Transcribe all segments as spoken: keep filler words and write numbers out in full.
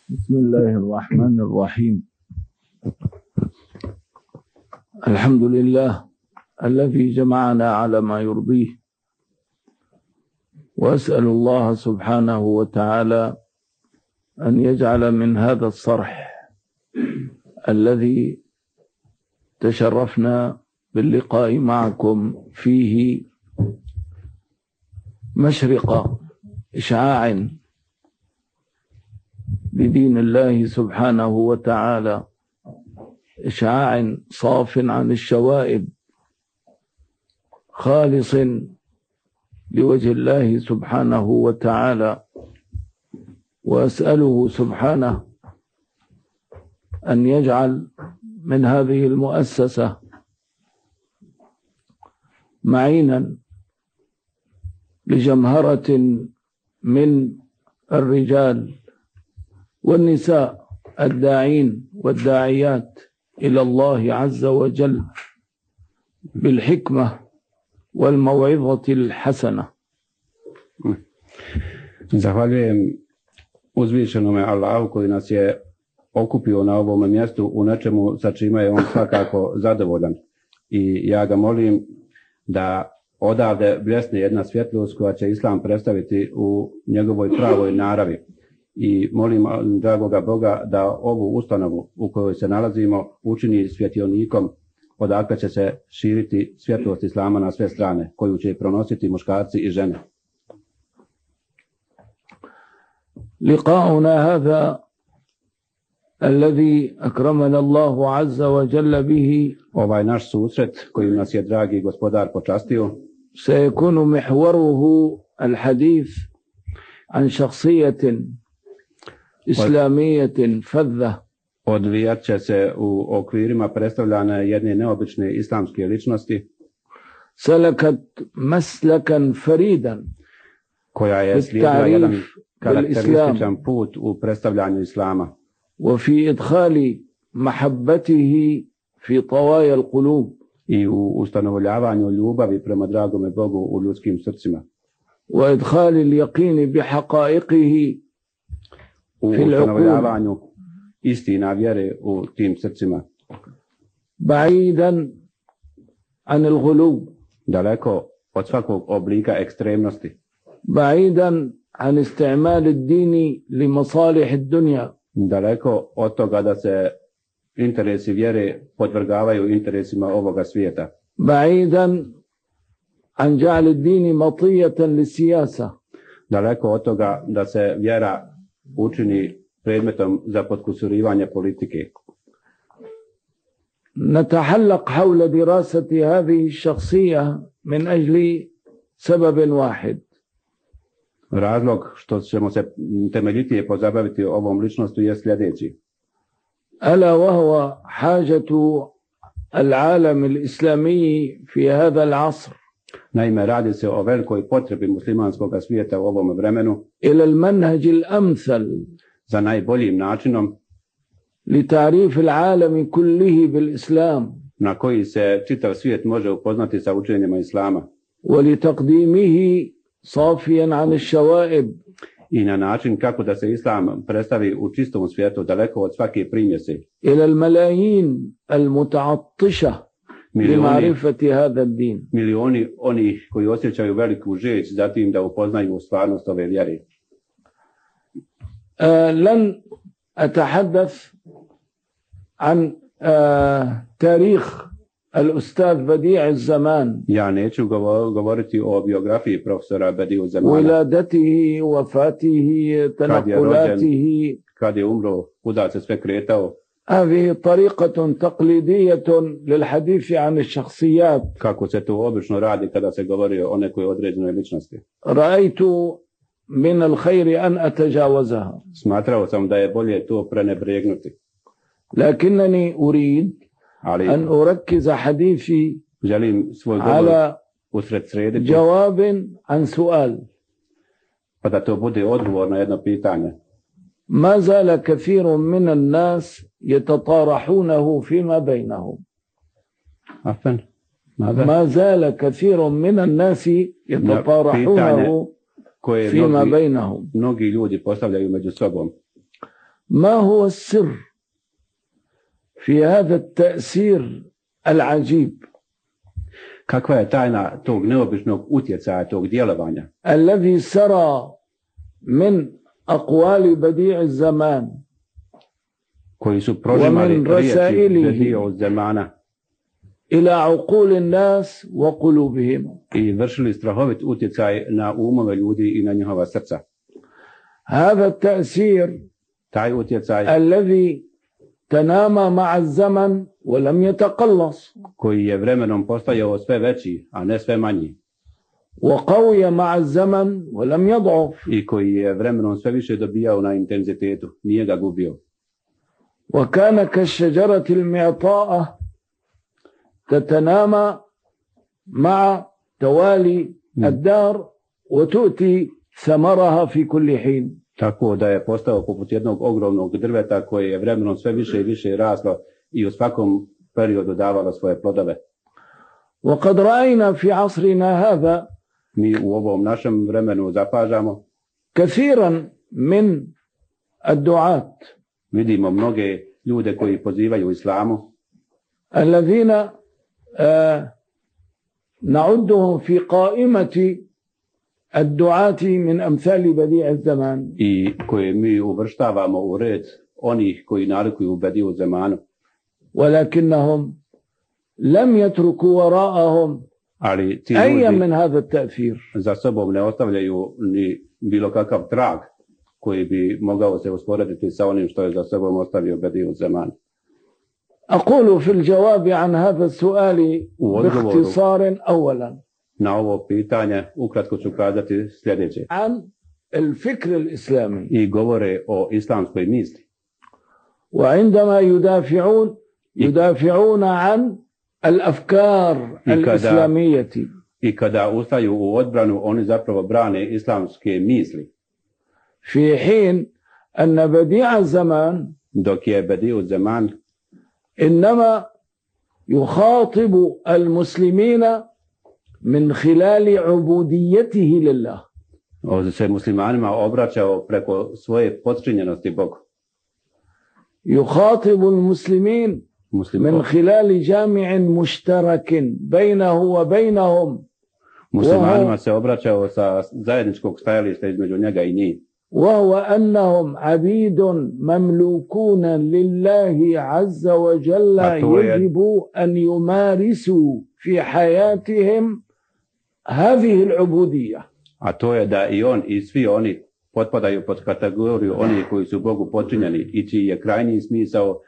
بسم الله الرحمن الرحيم. الحمد لله الذي جمعنا على ما يرضيه، وأسأل الله سبحانه وتعالى أن يجعل من هذا الصرح الذي تشرفنا باللقاء معكم فيه مشرق إشعاع بدين الله سبحانه وتعالى، إشعاع صاف عن الشوائب، خالص لوجه الله سبحانه وتعالى. وأسأله سبحانه أن يجعل من هذه المؤسسة معينا لجمهرة من الرجال والنساء الداعين والداعيات إلى الله عز وجل بالحكمة والموعظة الحسنة. Zahvaljujem uzvišenome Allahu koji nas je okupio na ovom mjestu u nečemu sa čime je on svakako zadovoljan. I ja ga molim da odavde bljesne jedna svjetlost koja će Islam predstaviti u njegovoj pravoj naravi. I molim dragoga Boga da ovu ustanovu u kojoj se nalazimo učini svjetionikom odakle će se širiti svjetlost Islama na sve strane, koju će pronositi muškarci i žene. لقاؤنا هذا الذي أكرمنا الله عز وجل به Ovaj naš susret kojim nas je dragi gospodar počastio سيكون محوره الحديث عن شخصية إسلامية فذة odvijat će se u okvirima predstavljanja jedne neobične islamske ličnosti سلكت مسلكا فريدا koja je slijedila jedan karakterističan put u predstavljanju Islama وفي إدخال محبته في طوايا القلوب i u ustanovljavanju ljubavi prema dragome Bogu u ljudskim srcima وإدخال اليقين بحقائقه u ustanovljavanju istina vjere u tim srcima بعيدا عن الغلو daleko od svakog oblika ekstremnosti بعيدا عن استعمال الدين لمصالح الدنيا daleko od toga da se interesi vjere podvrgavaju interesima ovoga svijeta بعيدا عن جعل الدين مطية للسياسة daleko od toga da se vjera učini predmetom za potkusurivanje politike. نتحلق حول دراسة هذه الشخصية من أجل سبب واحد. Razlog što ćemo se temeljitije pozabaviti ovom ličnostu je sljedeći. ألا وهو حاجة العالم الإسلامي في هذا العصر. Naime, radi se o velikoj potrebi muslimanskog svijeta u ovom vremenu إلى المنهج الأمثل za najboljim načinom لتعريف العالم كله بالإسلام na koji se čitav svijet može upoznati sa učenjima Islama ولتقديمه صافيا عن الشوائب i na način kako da se Islam predstavi u čistom svijetu daleko od svake primjese إلى الملايين المتعطشة لمعرفة هذا الدين. milioni onih koji osjećaju veliku žeđ zatim da upoznaju stvarnost ove vjere. آه لن أتحدث عن آه تاريخ الأستاذ بديع الزمان. Ja neću govoriti o biografiji profesora Bediu Zamana. ولادته وفاته تنقلاته. Kad je umro, kuda se sve kretao. هذه طريقة تقليدية للحديث عن الشخصيات. Kako se to obično radi kada se govori o nekoj određenoj ličnosti. رأيت من الخير أن أتجاوزها. Smatrao sam da je bolje to prenebregnuti. لكنني أريد أن أركز حديثي على جواب عن سؤال. Pa da to bude odgovor na jedno pitanje. ما زال كثير من الناس يتطارحونه فيما بينهم. عفوا ما زال كثير من الناس يتطارحونه فيما بينهم. Mnogi ljudi postavljaju među sobom. ما هو السر في هذا التأثير العجيب Kakva je tajna tog neobičnog utjecaja, tog djelovanja الذي سرى من أقوال بديع الزمان koji su prožimali ومن riječi رسائله Bedi'u Zemana إلى عقول الناس وقلوبهم i vršili strahovit utjecaj na umove ljudi i na njihova srca. هذا التأثير Taj utjecaj الذي تنامى مع الزمن ولم يتقلص koji je vremenom postajao sve veći, a ne sve manji, وقوي مع الزمن ولم يضعف i koji je vremenom sve više dobijao na intenzitetu, nije ga gubio. وكان كالشجرة المعطاءة تتنامى مع توالي الدار وتؤتي ثمرها في كل حين. Tako da je postao poput jednog ogromnog drveta koje je vremenom sve više i više raslo i u svakom periodu davalo svoje plodove. وقد رأينا في عصرنا هذا Mi u ovom našem vremenu zapažamo كثيرا من الدعاة vidimo mnoge ljude koji pozivaju islamu, الذين آه نعدهم في قائمة الدعاة من أمثال بديع الزمان i koje mi uvrštavamo u red onih koji nalikuju Bedi'u Zemanu, ولكنهم لم يتركوا وراءهم ali ti أي ljudi من هذا التأثير. za sobom ne ostavljaju ni bilo kakav trag koji bi mogao se usporediti sa onim što je za sobom ostavio Bedi'u Zeman. أقول في الجواب عن هذا السؤال باختصار أولا Na ovo pitanje ukratko ću kazati sljedeće. عن الفكر الإسلامي I govore o islamskoj misli. وعندما يدافعون يدافعون عن الأفكار الإسلامية I kada ustaju u odbranu, oni zapravo brane islamske misli. في حين أن بديع الزمان Dok je Bedi'u Zeman إنما يخاطب المسلمين من خلال عبوديته لله. se muslimanima obraćao preko svoje podčinjenosti Bogu. يخاطب المسلمين من خلال جامع مشترك بينه وبينهم. Muslimanima se obraćao sa zajedničkog stajališta između njega i njih. وهو أنهم عبيد مملوكون لله عز وجل يجب أن يمارسوا في حياتهم هذه العبودية. A to je da i on i svi oni potpadaju pod kategoriju oni koji su Bogu podčinjeni i čiji je krajnji smisao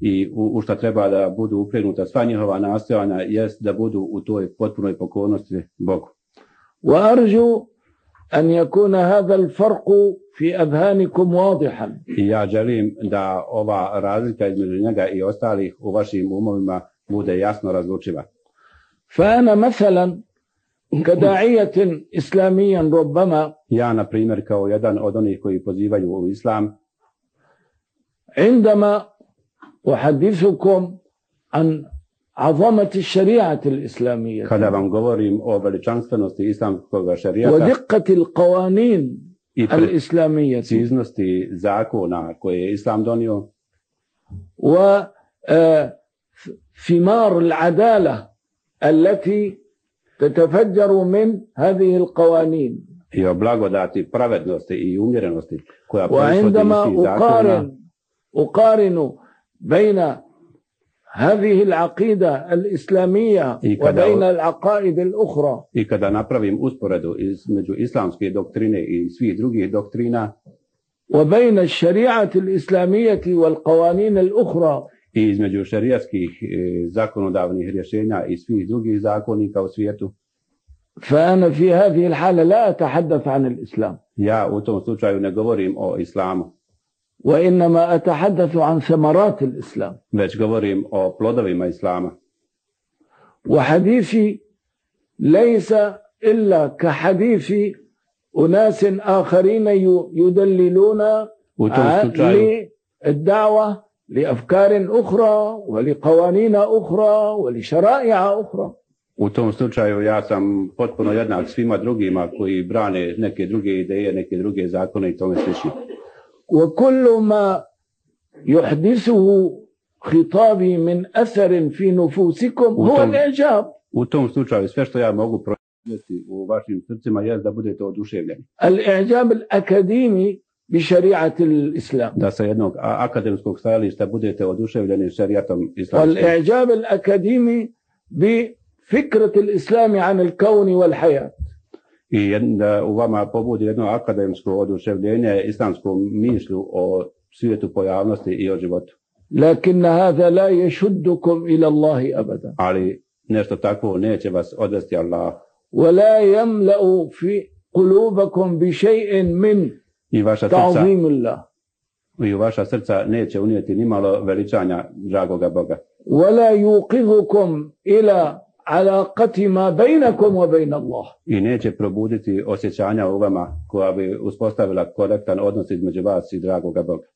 i u, u šta treba da budu upregnuta sva njihova nastojanja jest da budu u toj potpunoj pokornosti Bogu. وأرجو أن يكون هذا الفرق في أذهانكم واضحا. I ja želim da ova razlika između njega i ostalih u vašim umovima bude jasno razlučiva. فأنا مثلا كداعية إسلاميا ربما Ja, na primjer, kao jedan od onih koji pozivaju u islam, عندما أحدثكم عن عظمة الشريعة الإسلامية kada vam govorim o veličanstvenosti islamskog šerijata ودقة القوانين i الإسلامية preciznosti zakona koje je islam donio وثمار العدالة التي تتفجر من هذه القوانين i o blagodati pravednosti i umjerenosti koja proizvodi iz وعندما tih zakona, أقارن أقارن بين هذه العقيدة الإسلامية وبين العقائد الأخرى i kada napravim usporedu između islamske doktrine i svih drugih doktrina وبين الشريعة الإسلامية والقوانين الأخرى i između šerijatskih zakonodavnih rješenja i svih drugih zakonika u svijetu, فأنا في هذه الحالة لا أتحدث عن الإسلام. ja u tom slučaju ne govorim o islamu, وإنما أتحدث عن ثمرات الإسلام. već govorim o plodovima islama. وحديثي ليس إلا كحديث أناس آخرين يدللون للدعوة لأفكار أخرى ولقوانين أخرى ولشرائع أخرى. U tom slučaju ja sam potpuno jednak svima drugima koji brane neke druge ideje, neke druge zakone i tome slično. وكل ما يحدثه خطابي من أثر في نفوسكم هو الإعجاب. U tom slučaju sve što ja mogu proizvesti u vašim srcima je da budete oduševljeni. الإعجاب الأكاديمي بشريعة الإسلام. Da sa jednog akademskog stajališta budete oduševljeni šerijatom islamskim. والإعجاب الأكاديمي بفكرة الإسلام عن الكون والحياة. I da u vama pobudi jedno akademsko oduševljenje islamskom mišlju o svijetu pojavnosti i o životu. لكن هذا لا يشدكم إلى الله أبدا. Ali nešto takvo neće vas odvesti Allah. ولا يملأ في قلوبكم بشيء من I vaša تعظيم srca, الله. i u vaša srca neće unijeti nimalo veličanja dragoga Boga. ولا يوقظكم إلى علاقة ما بينكم وبين الله. I neće probuditi osjećanja u vama koja bi uspostavila korektan odnos između vas i dragoga Boga.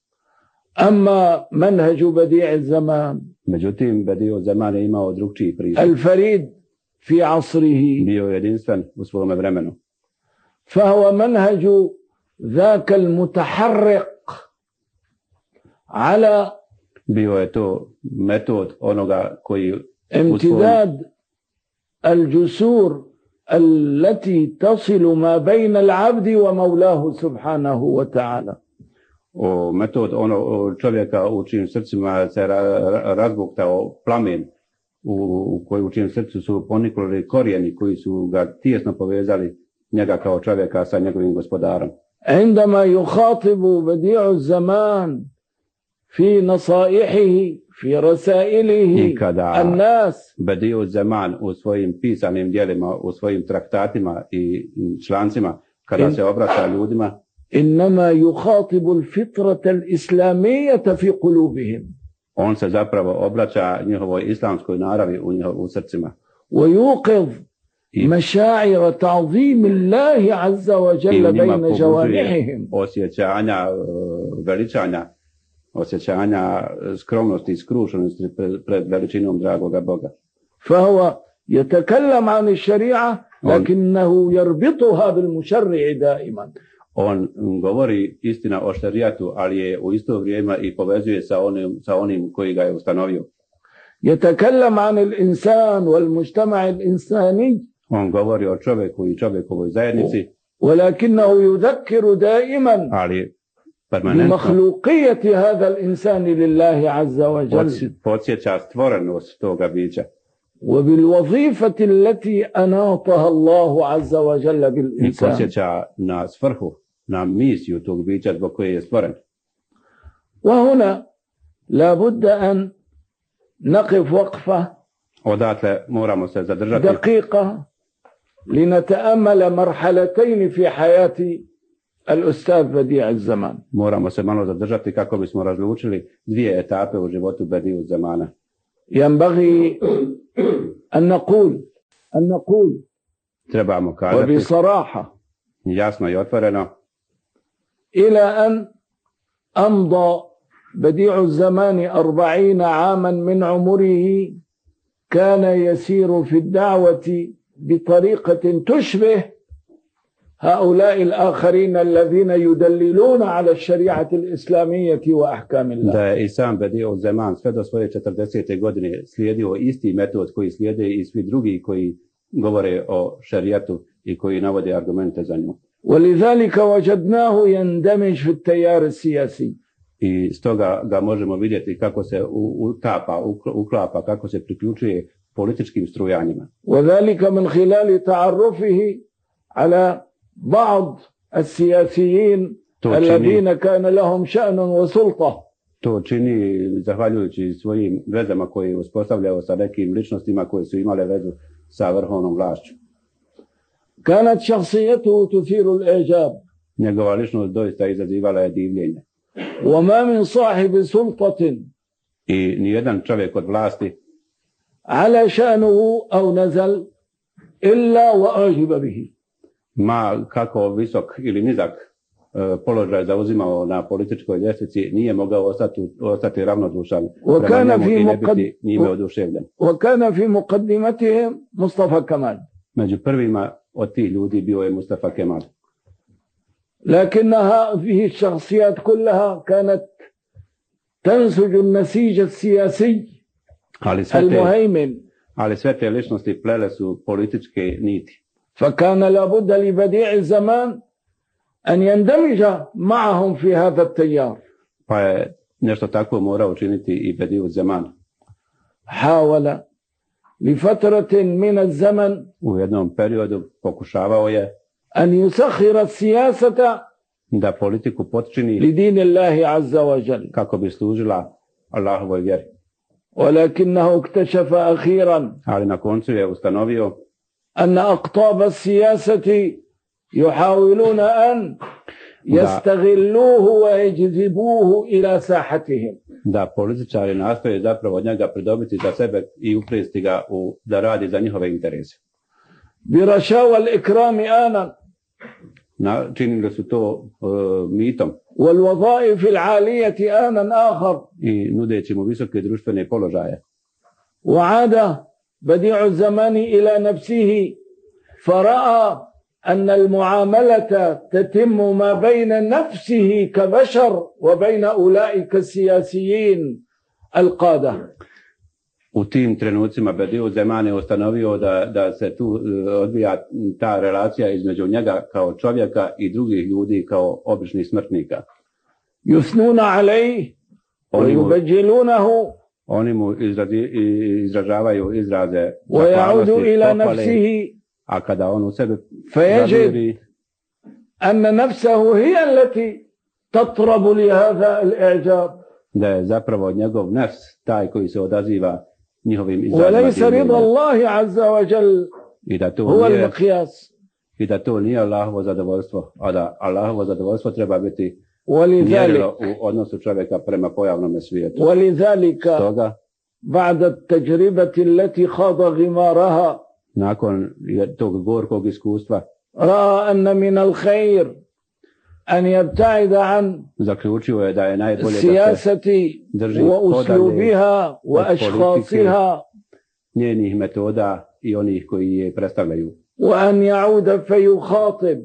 أما منهج بديع الزمان Međutim, Bedi'u Zaman je imao drugčiji pristup. الفريد في عصره Bio je jedinstven u svome vremenu. فهو منهج ذاك المتحرق على Bio je to metod onoga koji امتداد الجسور التي تصل ما بين العبد ومولاه سبحانه وتعالى. o metod ono čovjeka u čijim srcima se ra, razbuktao plamen u, u koji u čijim srcu su ponikli korijeni koji su ga tijesno povezali njega kao čovjeka sa njegovim gospodarom. عندما يخاطب بديع الزمان في نصائحه في رسائله الناس Bedi'u Zaman u svojim pisanim djelima, u svojim traktatima i člancima kada in, se obraća ljudima, إنما يخاطب الفطرة الإسلامية في قلوبهم. On se zapravo obraća njihovoj islamskoj naravi u, njihov, u srcima. ويوقظ مشاعر تعظيم الله عز وجل بين جوانحهم. Osjećanja veličanja, osjećanja skromnosti i skrušenosti pred veličinom dragoga Boga. فهو يتكلم عن الشريعة لكنه يربطها بالمشرع دائما. On govori istina o šerijatu, ali je u isto vrijeme i povezuje sa onim, sa onim koji ga je ustanovio. يتكلم عن الإنسان والمجتمع الإنساني. On govori o čovjeku i čovjekovoj zajednici. ولكنه يذكر دائما ali permanentno بمخلوقية هذا الإنسان لله عز وجل. podsjeća stvorenost toga bića. وبالوظيفة التي أناطها الله عز وجل بالإنسان. I podsjeća na svrhu, na misiju tog bića zbog koje je stvoren. وهنا لابد أن نقف وقفة Odatle moramo se zadržati دقيقة لنتأمل مرحلتين في حياة الأستاذ بديع الزمان. Moramo se malo zadržati kako bismo razlučili dvije etape u životu Bedi'u Zamana. ينبغي أن نقول أن نقول Trebamo kazati وبصراحة jasno i otvoreno إلى أن أمضى بديع الزمان أربعين عاما من عمره كان يسير في الدعوة بطريقة تشبه هؤلاء الآخرين الذين يدللون على الشريعة الإسلامية وأحكام الله. Da je i sam Bedi'u Zaman sve do svoje četrdesete godine slijedio isti metod koji slijede i svi drugi koji govore o šerijatu i koji navode argumente za nju. ولذلك وجدناه يندمج في التيار السياسي. I stoga ga možemo vidjeti kako se utapa, uklapa, kako se priključuje političkim strujanjima. وذلك من خلال تعرفه على بعض السياسيين الذين كان لهم شأن وسلطة. To čini zahvaljujući svojim vezama koje je uspostavljao sa nekim ličnostima koje su imale vezu sa vrhovnom vlašću. كانت شخصيته تثير الإعجاب. Njegova ličnost doista izazivala je divljenje. وما من صاحب سلطة I nijedan čovjek od vlasti على شأنه أو نزل إلا وأعجب به. ma kako visok ili nizak položaj zauzimao na političkoj ljestvici nije mogao ostati, ostati ravnodušan prema njemu i ne biti njime oduševljen. وكان في مقدمتهم مصطفى كمال. Među prvima od tih ljudi bio je Mustafa Kemal. لكن هذه الشخصيات كلها كانت تنسج النسيج السياسي Ali sve, te, المهيمن. ali sve te ličnosti plele su političke niti. فكان لابد لبديع الزمان أن يندمج معهم في هذا التيار. Pa je nešto takvo morao učiniti i Bediu Zaman. حاول لفترة من الزمن U jednom periodu pokušavao je أن يسخر السياسة da politiku potčini لدين الله عز وجل، kako bi služila Allahovoj vjeri. ولكنه اكتشف أخيرا Ali na koncu je ustanovio أن أقطاب السياسة يحاولون أن يستغلوه ويجذبوه إلى ساحتهم. da političari nastoje zapravo od njega pridobiti za sebe i uplesti ga u, da radi za njihove interese. برشاوى الإكرام آنا Na, činili su to uh, mitom والوظائف العالية آنا آخر. i nudeći mu visoke društvene položaje. وعاد بديع الزمان إلى نفسه فرأى أن المعاملة تتم ما بين نفسه كبشر وبين أولئك السياسيين القادة. U tim trenucima Bediu Zaman je ustanovio da, da se tu odvija ta relacija između njega kao čovjeka i drugih ljudi kao običnih smrtnika. يثنون عليه ويبجلونه Oni mu izrazi, izražavaju izraze ويعود إلى pohvale, نفسه a kada on u sebe فيجد zaviri, أن نفسه هي التي تطرب لهذا الإعجاب da je zapravo njegov nefs taj koji se odaziva njihovim وليس رضا izrazima الله عز وجل i da to هو nije المقياس. i da to nije Allahovo zadovoljstvo, a da Allahovo zadovoljstvo treba biti ولذلك mjerilo u odnosu čovjeka prema pojavnom svijetu. ولذلك Stoga, بعد التجربة التي خاض غمارها nakon tog gorkog iskustva, رأى أن من الخير أن يبتعد عن zaključio je da je najbolje da se السياسة drži وأسلوبها وأشخاصها njenih metoda i onih koji je predstavljaju. وأن يعود فيخاطب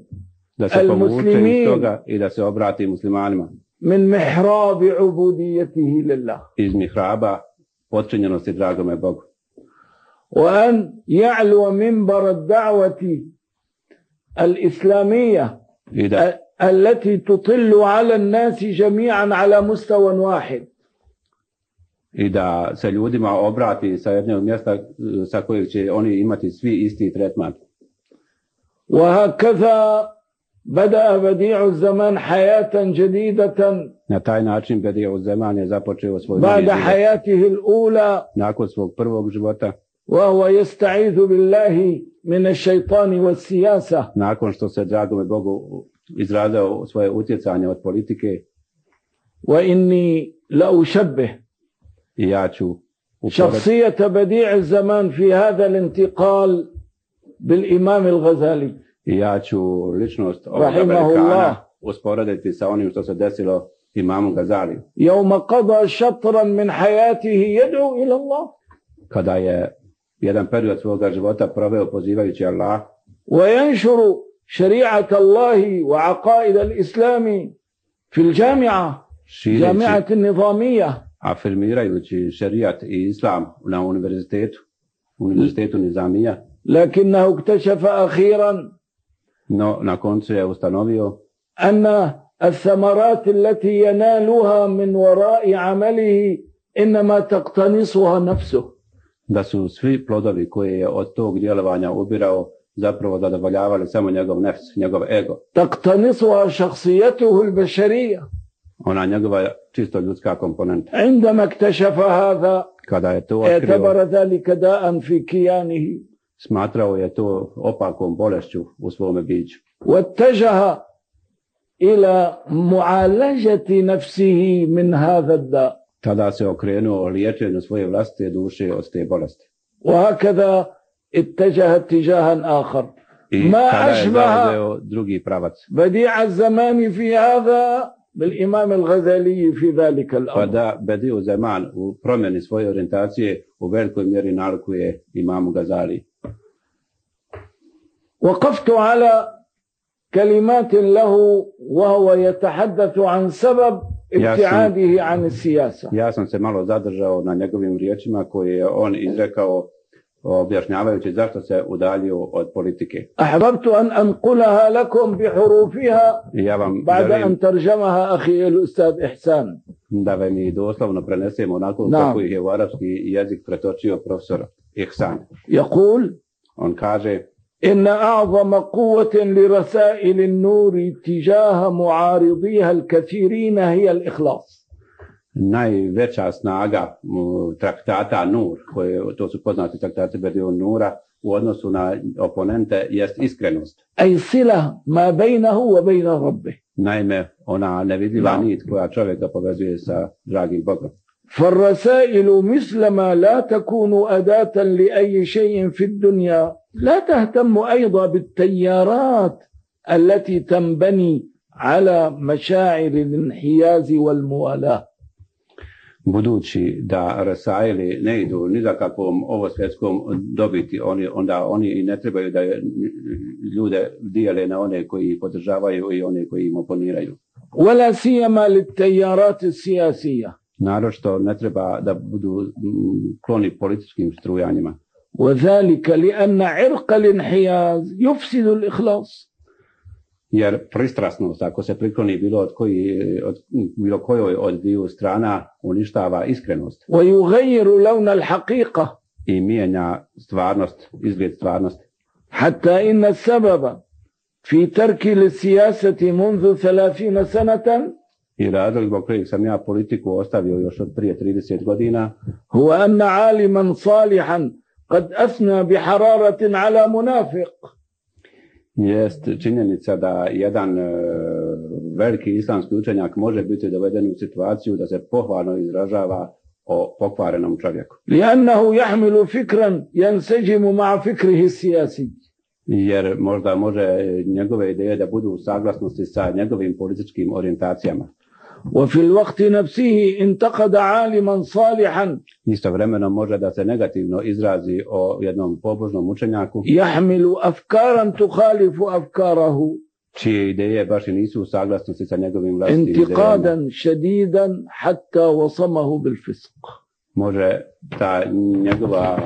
Da se povuče iz المسلمين toga i da se obrati muslimanima من محراب عبوديته لله، iz mihraba potčinjenosti dragome Bogu. وأن يعلو منبر الدعوة الإسلامية I da, التي تطل على الناس جميعا على مستوى واحد. I da se ljudima obrati sa jednog mjesta sa kojeg će oni imati svi isti tretman. وهكذا بدأ بديع الزمان حياة جديدة Na taj način Bediu Zaman je započeo svoj بعد novi život. حياته الأولى Nakon svog prvog života, وهو يستعيذ بالله من الشيطان والسياسة. nakon što se dragome Bogu izrazao svoje utjecanje od politike, وإني لأشبه i ja ću uporediti شخصية بديع الزمان في هذا الانتقال بالإمام الغزالي i ja ću ličnost ovoga Rahimahullah. velikana usporediti sa onim što se desilo imamu Gazali, يوم قضى شطرا من حياته يدعو إلى الله kada je jedan period svoga života proveo pozivajući Allah وينشر شريعة الله وعقائد الإسلام في الجامعة šireći, جامعة النظامية. afirmirajući šerijat i islam na univerzitetu, univerzitetu Nizamija, لكنه اكتشف أخيرا no na koncu je ustanovio أن الثمرات التي ينالها من وراء عمله إنما تقتنصها نفسه. da su svi plodovi koje je od tog djelovanja ubirao zapravo zadovoljavali samo njegov nefs, njegov ego, تقتنصها شخصيته البشرية. ona njegova čisto ljudska komponenta. عندما اكتشف هذا Kada je to otkrio, اعتبر ذلك داء في كيانه smatrao je to opakom bolešću u svome biću. واتجه إلى معالجة نفسه من هذا الداء. Tada se okrenuo liječenju svoje vlastite duše od te bolesti. وهكذا اتجه اتجاها آخر. I ما tada je أشبه zauzeo drugi pravac. بديع الزمان في هذا بالإمام الغزالي في ذلك Pa الأمر. da Bediu Zaman u promjeni svoje orijentacije u velikoj mjeri nalikuje imamu Gazali. وقفت على كلمات له وهو يتحدث عن سبب ابتعاده عن السياسة. Ja sam se malo zadržao na njegovim riječima koje je on izrekao objašnjavajući zašto se udaljio od politike. أحببت أن أنقلها لكم بحروفها Ja vam بعد želim أن ترجمها أخي الأستاذ إحسان. da vam i doslovno prenesemo onako Naam. kako ih je u arapski jezik pretočio profesor Ihsan. يقول: On kaže: إن أعظم قوة لرسائل النور تجاه معارضيها الكثيرين هي الإخلاص. najveća snaga m, traktata Nur, koje, to su poznati traktati Bedi'un Nura, u odnosu na oponente jest iskrenost. أي صلة ما بينه وبين ربه. Naime, ona nevidljiva Da. nit koja čovjeka povezuje sa dragim Bogom. فالرسائل مثلما لا تكون أداة لأي شيء في الدنيا لا تهتم أيضا بالتيارات التي تنبني على مشاعر الانحياز والموالاة. Budući da Rasaili ne idu ni za kakvom ovo svjetskom dobiti, oni, onda oni i ne trebaju da ljude dijele na one koji ih podržavaju i one koji im oponiraju. ولا سيما للتيارات السياسية. Naročito ne treba da budu mm, kloni političkim strujanjima. وذلك لأن عرق الانحياز يفسد الإخلاص. Jer pristrasnost, ako se prikloni bilo od, koji, od bilo kojoj od dviju strana, uništava iskrenost ويغير لون الحقيقة. i mijenja stvarnost, izgled stvarnosti. حتى إن السبب في ترك للسياسة منذ ثلاثين سنة I razlog zbog kojeg sam ja politiku ostavio još od prije trideset godina هو أن عالما صالحا قد أثنى بحرارة على منافق. jest činjenica da jedan e, veliki islamski učenjak može biti doveden u situaciju da se pohvalno izražava o pokvarenom čovjeku. لأنه يحمل فكرا ينسجم مع فكره السياسي. Jer možda može njegove ideje da budu u saglasnosti sa njegovim političkim orijentacijama. وفي الوقت نفسه انتقد عالما صالحا Istovremeno može da se negativno izrazi o jednom pobožnom učenjaku يحمل أفكارا تخالف أفكاره čije ideje baš i nisu u saglasnosti sa njegovim vlastitim idejama. انتقادا شديدا حتى وصمه بالفسق. Može ta njegova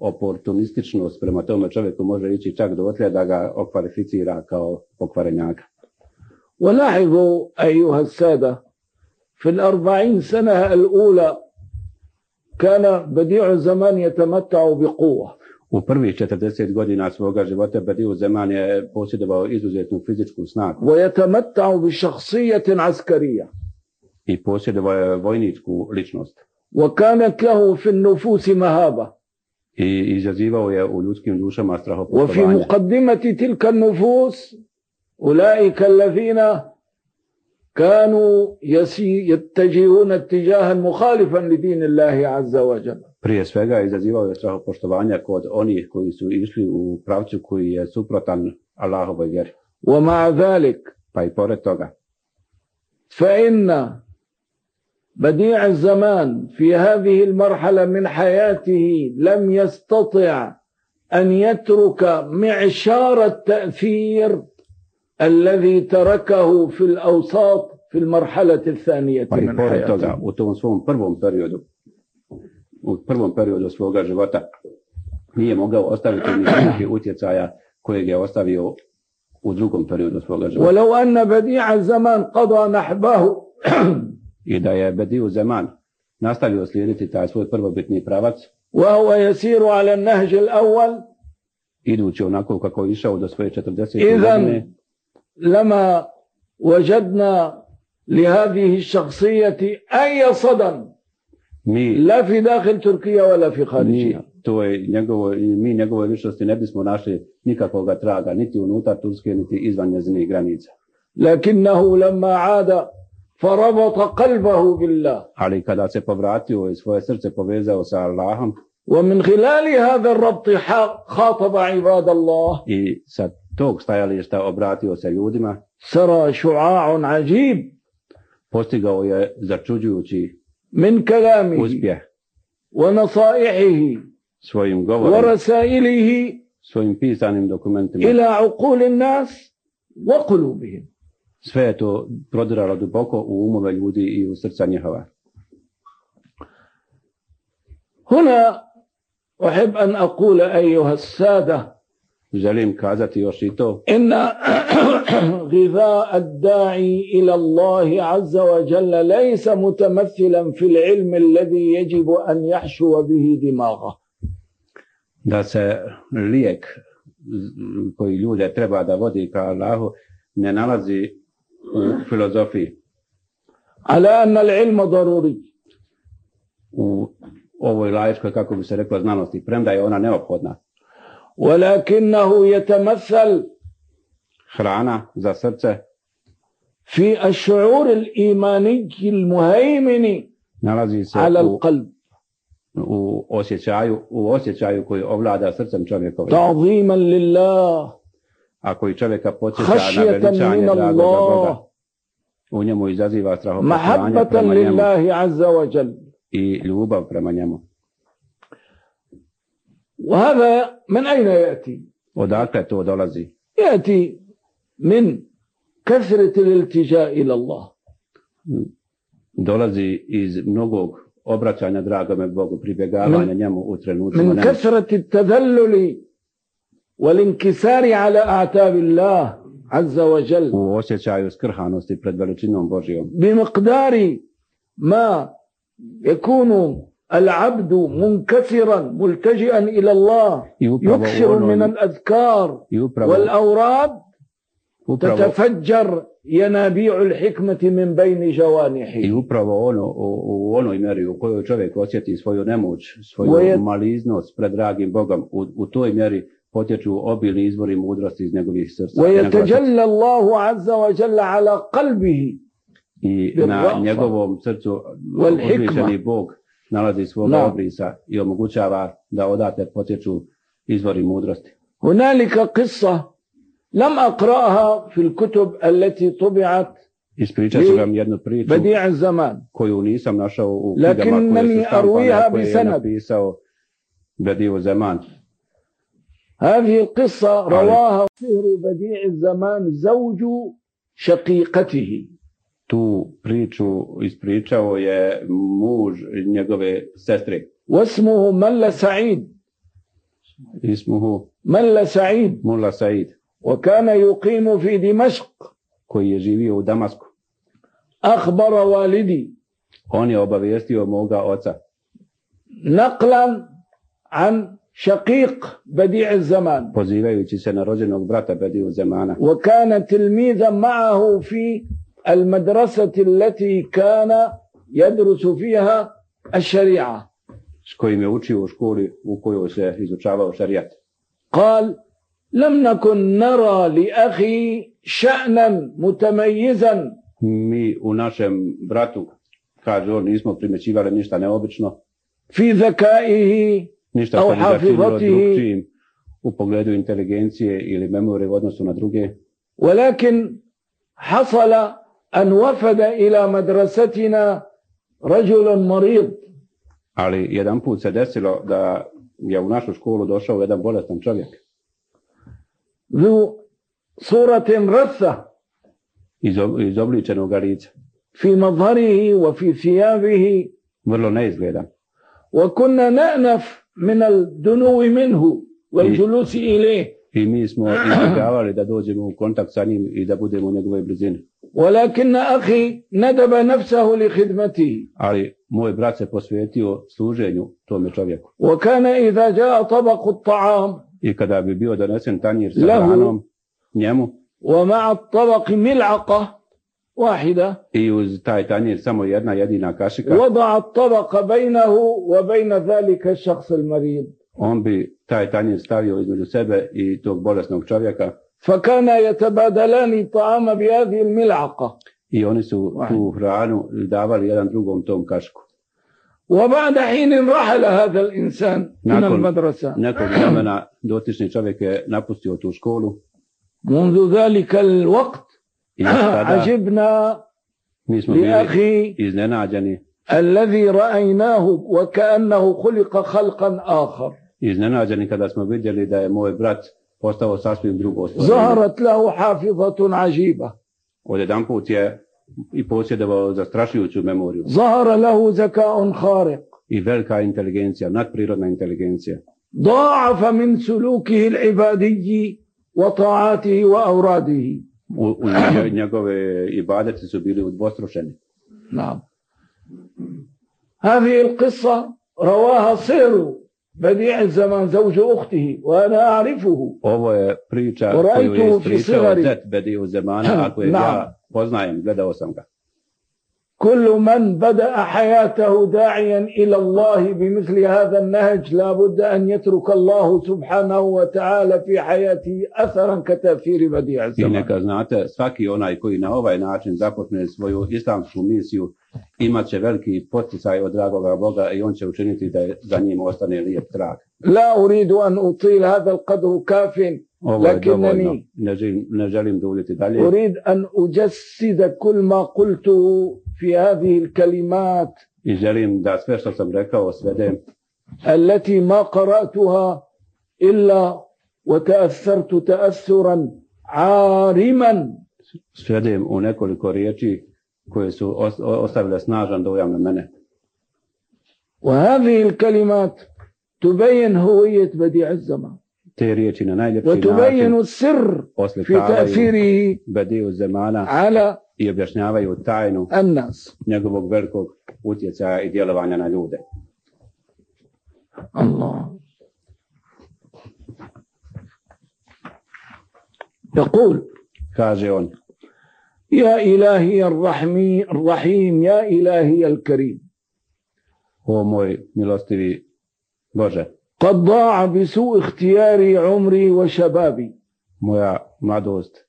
oportunističnost prema tome čovjeku može ići čak dotle da ga okvalificira kao pokvarenjaka. ولاحظوا أيها السادة في الأربعين سنة الأولى كان بديع الزمان يتمتع بقوة. U prvih četrdeset godina svoga života Bedi'u Zaman je posjedovao izuzetnu fizičku snagu ويتمتع بشخصية عسكرية. i posjedovao je vojničku ličnost وكانت له في النفوس مهابة. i izazivao je u ljudskim dušama وفي strahopoštovanje. مقدمة تلك النفوس أولئك الذين كانوا يسي يتجهون اتجاها مخالفا لدين الله عز وجل. Prije svega izazivao je strahopoštovanja kod onih koji su išli u pravcu koji je suprotan Allahovoj vjeri. ومع ذلك Pa i pored toga, فإن بديع الزمان في هذه المرحلة من حياته لم يستطع أن يترك معشار التأثير الذي تركه في الأوساط في المرحلة الثانية pa i من pored حياته. toga, u tom svom prvom periodu, u prvom periodu svoga života, nije mogao ostaviti ni neki utjecaja kojeg je ostavio u drugom periodu svoga života. ولو أن بديع الزمان قضى نحبه I da je Bedi'u Zaman nastavio slijediti taj svoj prvobitni pravac, وهو يسير على النهج الأول idući onako kako je išao do svoje četrdesete إذن godine, لما وجدنا لهذه الشخصية أي صدى mi, لا في داخل تركيا ولا في خارجها. mi, to je njegovo, mi njegove ličnosti ne bismo našli nikakvog traga, niti unutar Turske, niti izvan njezinih granica. لكنه لما عاد فربط قلبه بالله Ali kada se povratio i svoje srce povezao sa Allahom ومن خلال هذا الربط خاطب عباد الله i sa tog stajališta obratio se ljudima, سرى شعاع عجيب postigao je začuđujući من كلامه uspjeh ونصائحه svojim govorom, ورسائله svojim pisanim dokumentima إلى عقول الناس وقلوبهم. Sve je to prodiralo duboko u umove ljudi i u srca njihova. هنا أحب أن أقول أيها السادة Želim kazati još i to, إن غذاء الداعي إلى الله عز وجل ليس متمثلا في العلم الذي يجب أن يحشو به دماغه. da se lijek koji ljude treba da vodi ka Allahu ne nalazi u filozofiji. على أن العلم ضروري. U ovoj laičkoj, kako bi se reklo, znanosti, premda je ona neophodna. ولكنه يتمثل Hrana za srce في الشعور الإيماني المهيمن nalazi se على u, القلب u osjećaju, u osjećaju koji ovlada srcem čovjekovim, تعظيما لله a koji čovjeka podsjeća na خشية veličanje من dragoga Boga. الله U njemu izaziva strahopoštovanje محبة prema njemu لله عز وجل. i ljubav prema njemu. وهذا من أين يأتي؟ Odakle to dolazi? يأتي من كثرة الالتجاء إلى الله. Dolazi iz mnogog obraćanja dragome Bogu, pribjegavanja njemu u trenucima من nemoći. كثرة التذلل والانكسار على أعتاب الله عز وجل U osjećaju skrhanosti pred veličinom Božijom. بمقدار ما يكون العبد منكسرا ملتجئا إلى الله I upravo u يكثر من onoj, الأذكار i upravo, والأوراد upravo, تتفجر ينابيع الحكمة من بين i جوانحه. upravo ono, u, u onoj mjeri u kojoj čovjek osjeti svoju nemoć, svoju Moje- maliznost pred dragim Bogom, u, u toj mjeri potječu obilni izvori mudrosti iz njegovih srca. njegova srca. ويتجلى الله عز وجل على قلبه I bil na rafa njegovom srcu wal hikma. uzvišeni Bog nalazi svoga Da. obrisa i omogućava da odatle potječu izvori mudrosti. هنالك قصة لم أقرأها في الكتب التي طبعت Ispričat ću vam jednu priču بديع الزمان koju nisam našao u knjigama koje لكنني su štampane, أرويها koje je بسند. napisao Bediu Zaman. هذه القصة رواها صهر بديع الزمان زوج شقيقته. Tu priču ispričao je muž njegove sestre. واسمه ملا سعيد. Ismuhu ملا سعيد Mulla Said, وكان يقيم في دمشق. koji je živio u Damasku. أخبر والدي On je obavijestio moga oca نقلا عن شقيق بديع الزمان pozivajući se na rođenog brata Bediu Zamana, وكان تلميذا معه في المدرسة التي كان يدرس فيها الشريعة. s kojim je učio u školi u kojoj se izučavao šarijat. قال لم نكن نرى لأخي شأنا متميزا Mi u našem bratu, kaže on, nismo primjećivali ništa neobično, في ذكائه ništa Au što bi ga činilo hafizatihi. drugčijim u pogledu inteligencije ili memorije u odnosu na druge. ولكن حصل أن وفد إلى مدرستنا رجل مريض Ali jedan put se desilo da je u našu školu došao jedan bolestan čovjek, ذو صورة رثة izo- izobličenog lica, في مظهره وفي ثيابه vrlo neizgledan. وكنا نأنف من الدنو منه والجلوس إليه I mi smo izbjegavali da dođemo u kontakt sa njim i da budemo u njegovoj blizini. ولكن أخي ندب نفسه لخدمته Ali moj brat se posvetio služenju tome čovjeku. وكان إذا جاء طبق الطعام I kada bi bio donesen tanjir sa Lahu. hranom njemu ومع الطبق ملعقة واحدة i uz taj tanjir samo jedna jedina kašika, وضع الطبق بينه وبين ذلك الشخص المريض on bi taj tanjir stavio između sebe i tog bolesnog čovjeka فكان يتبادلان الطعام بهذه الملعقة. i oni su tu hranu davali jedan drugom tom kašku. وبعد حين رحل هذا الإنسان من Nakon المدرسة nekog vremena dotični čovjek je napustio tu školu منذ ذلك الوقت i tada عجبنا mi smo bili لأخي iznenađeni, الذي رأيناه وكأنه خلق خلقا آخر. iznenađeni kada smo vidjeli da je moj brat postao sasvim drugo stvorenje. ظهرت له حافظة عجيبة. odjedanput je i posjedovao zastrašujuću memoriju. ظهر له ذكاء خارق. I velika inteligencija, nadprirodna inteligencija. ضاعف من سلوكه العبادي وطاعاته وأوراده. U, u njegove ibadeti su bili udvostručeni. نعم. هذه القصة رواها صير بديع الزمان زوج أخته وأنا أعرفه. Ovo je priča koju je ispričao zet Bediju Zemana, ako je ja poznajem, gledao sam ga. كل من بدأ حياته داعيا إلى الله بمثل هذا النهج لا بد أن يترك الله سبحانه وتعالى في حياته أثرا كتأثير بديع الزمان. I neka znate, svaki onaj koji na ovaj način započne svoju islamsku misiju imat će veliki poticaj od dragoga Boga i on će učiniti da za njim ostane lijep trag. لا أريد أن أطيل هذا القدر كاف لكنني ne želim duljiti dalje. أريد أن أجسد كل ما قلته في هذه الكلمات I želim da sve što sam rekao svedem التي ما قرأتها إلا وتأثرت تأثرا عارما svedem u nekoliko riječi koje su ostavile snažan dojam na mene. وهذه الكلمات تبين هوية بديع الزمان Te riječi na najljepši وتبين način السر في oslikavaju تأثيره Bediju Zemana على i objašnjavaju tajnu الناس. njegovog velikog utjecaja i djelovanja na ljude. الله يقول Kaže on: يا إلهي الرحمي الرحيم يا إلهي الكريم O moj milostivi Bože, قد ضاع بسوء اختياري عمري وشبابي moja mladost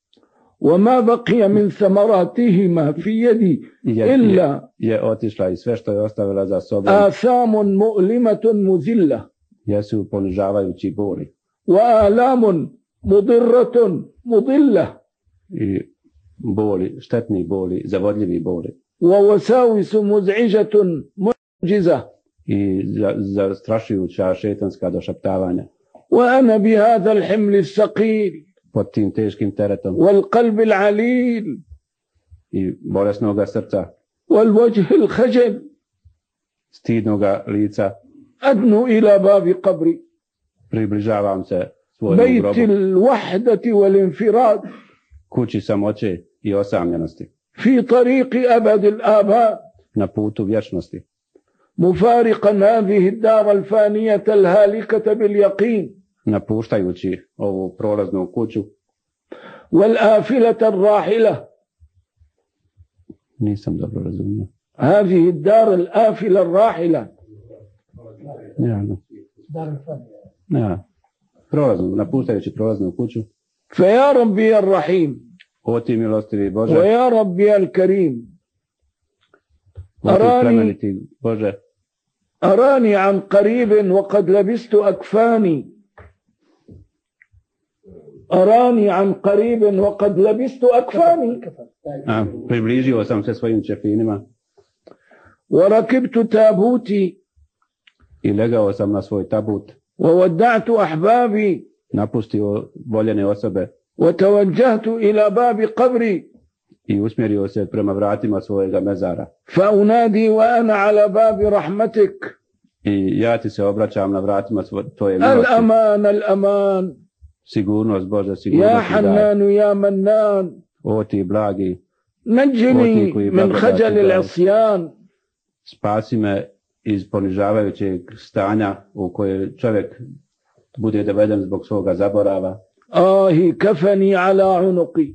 وما بقي من ثمراتهما في يدي je, إلا je otišla i sve što je ostavila za sobom آثام مؤلمة مذلة jesu ponižavajući boli وآلام مضرة مضلة i boli, štetni boli, zavodljivi boli ووساوس مزعجة معجزة i zastrašujuća šetanska došaptavanja. وأنا بهذا الحمل الثقيل Pod tim teškim teretom والقلب العليل i bolesnoga srca, والوجه الخجل stidnoga lica, أدنو إلى باب قبري približavam se svojom بيت grobu, الوحدة والانفراد kući samoće i osamljenosti, في طريق أبد الآباء na putu vječnosti, مفارقا هذه الدار الفانية الهالكة باليقين napuštajući ovu prolaznu kuću. والآفلة الراحلة. Nisam dobro razumio. هذه الدار الآفلة الراحلة. Ja, ja. Prolaznu, napuštajući prolaznu kuću. فيا ربي الرحيم O ti milostivi Bože, ويا ربي الكريم o ti أراني plemeniti Bože, أراني عن قريب وقد لبست أكفاني أراني عن قريب وقد لبست أكفاني a, približio sam se svojim čefinima وركبت تابوتي i legao sam na svoj tabut, وودعت أحبابي napustio voljene osobe وتوجهت إلى باب قبري i usmjerio se prema vratima svojega mezara. فأنادي وأنا على باب رحمتك I ja ti se obraćam na vratima svo- tvoje milosti. الأمان الأمان Sigurnost Bože, يا sigurnost mi daj. حنان يا منان O ti blagi, نجني من خجل العصيان spasi me iz ponižavajućeg stanja u koje čovjek bude doveden zbog svoga zaborava. آه كفني على عنقي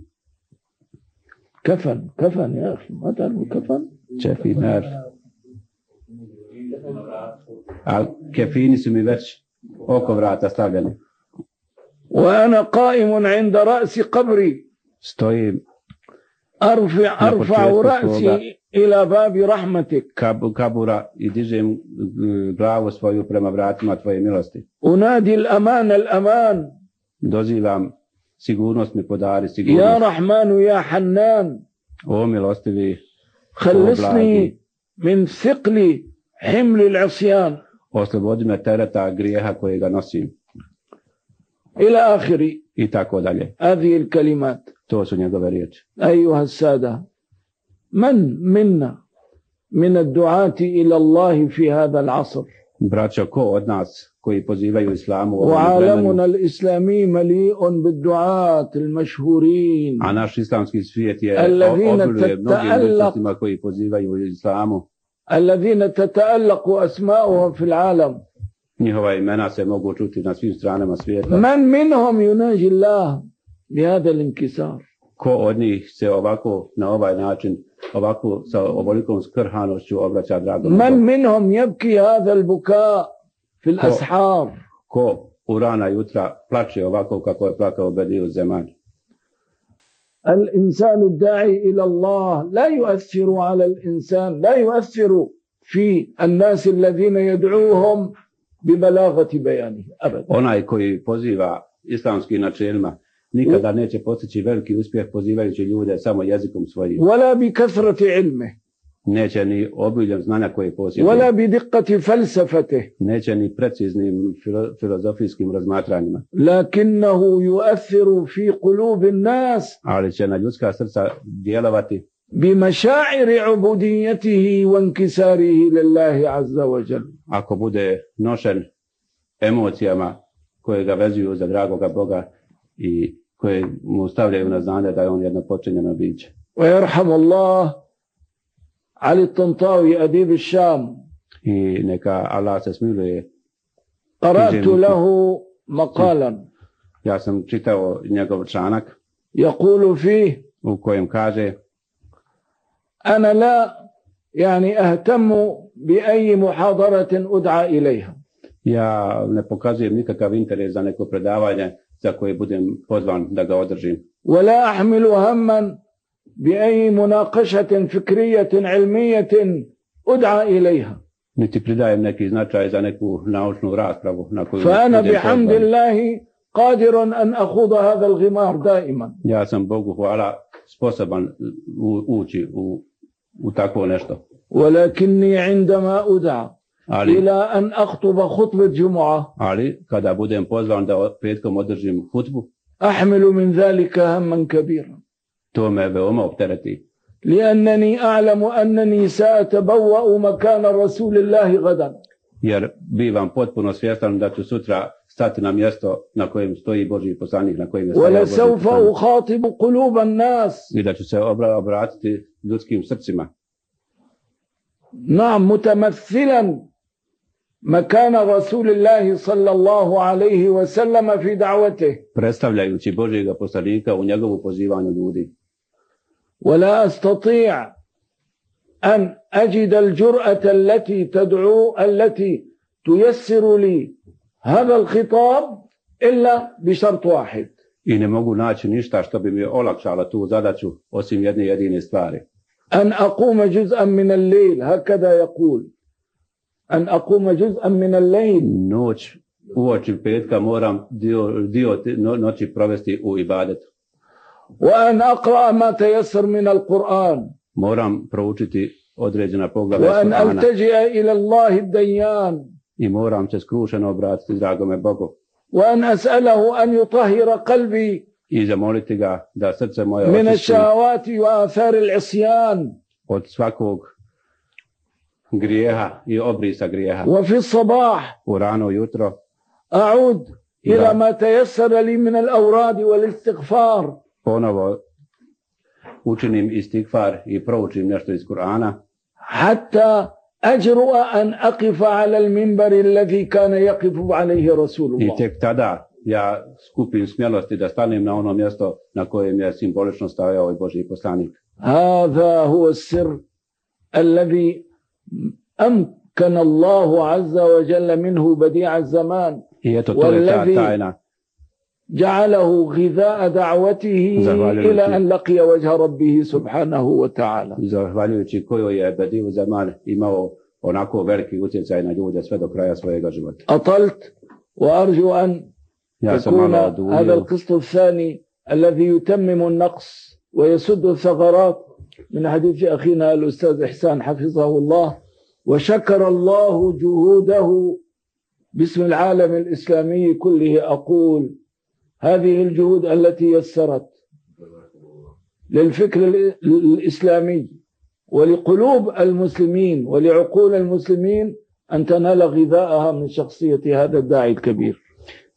كفن كفن يا أخي ما تعرف كفن Čefinar. A kefini su mi već oko vrata stavljeni. وأنا قائم عند رأس قبري Stojim أرفع أرفع početku رأسي إلى باب رحمتك kab, kabura i dižem mm, glavu svoju prema vratima tvoje milosti. أنادي الأمان الأمان Dozivam, sigurnost mi podari, يا sigurnost. رحمن يا حنان O milostivi, خلصني من ثقل حمل العصيان oslobodi me tereta grijeha kojega nosim. إلى آخر I tako dalje. هذه الكلمات. To su njegove riječi. أيها السادة، من منا من الدعاة إلى الله في هذا العصر؟ Braćo, ko od nas koji pozivaju islamu u ovom vremenu, وعالمنا الإسلامي مليء بالدعاة المشهورين a naš islamski svijet je الذين obiluje mnogim تتألق ličnostima koji pozivaju islamu. الذين تتألق أسماؤهم في العالم. Njihova imena se mogu čuti na svim stranama svijeta. من منهم يناجي الله بهذا الانكسار؟ Ko od njih se ovako na ovaj način, ovako sa ovolikom skrhanošću obraća dragom من Bogu? منهم يبكي هذا البكاء في الأسحار؟ Ko u rana jutra plače ovako kako je plakao Bediju Zeman? الإنسان الداعي إلى الله لا يؤثر على الإنسان، لا يؤثر في الناس الذين يدعوهم ببلاغة بيانه أبدا. Onaj koji poziva islamskim načelima nikada neće postići veliki uspjeh pozivajući ljude samo jezikom svojim. ولا بكثرة علمه، Neće ni obiljem znanja koje posjeduje. ولا بدقة فلسفته، Neće ni preciznim filo- filozofijskim razmatranjima. لكنه يؤثر في قلوب الناس Ali će na ljudska srca djelovati بمشاعر عبوديته وانكساره لله عز وجل. ako bude nošen emocijama koje ga vezuju za dragoga Boga i koje mu stavljaju na znanje da je on jedno počinjeno biće. ويرحم الله علي الطنطاوي أديب الشام، I neka Allah se smiluje. قرأت له مقالا Ja sam čitao njegov članak يقول فيه: u kojem kaže: أنا لا يعني أهتم بأي محاضرة أدعى إليها، ja ne pokazujem nikakav interes za neko predavanje za koje budem pozvan da ga održim. ولا أحمل هما بأي مناقشة فكرية علمية أدعى إليها، Niti pridajem neki značaj za neku naučnu raspravu na koju فأنا budem بحمد pozvan. الله قادر أن أخوض هذا الغمار دائما. Ja sam Bogu hvala sposoban u- ući u, u takvo nešto. ولكني عندما أدعى Ali, إلى أن أخطب خطبة جمعة ali kada budem pozvan da petkom održim hutbu, أحمل من ذلك هما كبيرا، to me veoma optereti. لأنني أعلم أنني سأتبوأ مكان رسول الله غدا، Jer bivam potpuno svjestan da ću sutra stati na mjesto na kojem stoji Božji poslanik, na kojem je stajao Božji ولسوف poslanik. أخاطب قلوب الناس. I da ću se obra- obratiti ljudskim srcima. نعم، متمثلا مكان رسول الله صلى الله عليه وسلم في دعوته. Predstavljajući Božjega poslanika u njegovu pozivanju ljudi. ولا أستطيع أن أجد الجرأة التي تدعو التي تيسر لي هذا الخطاب إلا بشرط واحد: I ne mogu naći ništa što bi mi olakšalo tu zadaću osim jedne jedine stvari. أن أقوم جزءا من الليل، هكذا يقول، أن أقوم جزءا من الليل Noć uoči petka moram dio, dio te- no- noći provesti u ibadetu. وأن أقرأ ما تيسر من القرآن، Moram proučiti određena poglavlja وأن Kur'ana ألتجئ إلى الله الديان، i moram se skrušeno obratiti dragome Bogu وأن أسأله أن يطهر قلبي i zamoliti ga da srce moje من očisti الشهوات وآثار العصيان. od svakog grijeha i obrisa grijeha. وفي الصباح U rano jutro أعود إلى نعم. ما تيسر لي من الأوراد والاستغفار، ponovo učinim istikfar i proučim nešto iz Kur'ana حتى أجرؤ أن أقف على المنبر الذي كان يقف عليه رسول i الله. tek tada ja skupim smjelosti da stanem na ono mjesto na kojem je simbolično stajao i Božji poslanik. هذا هو السر الذي أمكن الله عز وجل منه بديع الزمان، I eto to je ta والذي tajna جعله غذاء دعوته زهوالي إلى وجهه. أن لقي وجه ربه سبحانه وتعالى. zahvaljujući kojoj je Bediu Zaman imao onako veliki utjecaj na ljude sve do kraja svojega života. أطلت وأرجو أن Ja sam يكون malo هذا oduljio. القسط الثاني الذي يتمم النقص ويسد الثغرات من حديث أخينا الأستاذ إحسان حفظه الله، وشكر الله جهوده باسم العالم الإسلامي كله. أقول هذه الجهود التي يسرت للفكر الإسلامي ولقلوب المسلمين ولعقول المسلمين أن تنال غذاءها من شخصية هذا الداعي الكبير.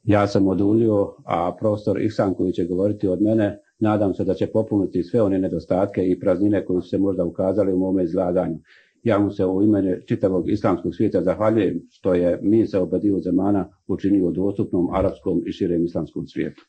Ja sam oduljio, a profesor Ihsan koji će govoriti od mene, nadam se da će popuniti sve one nedostatke i praznine koje su se možda ukazali u mome izlaganju. Ja mu se u ime čitavog islamskog svijeta zahvaljujem što je misao Bediu Zemana učinio dostupnom arapskom i širem islamskom svijetu.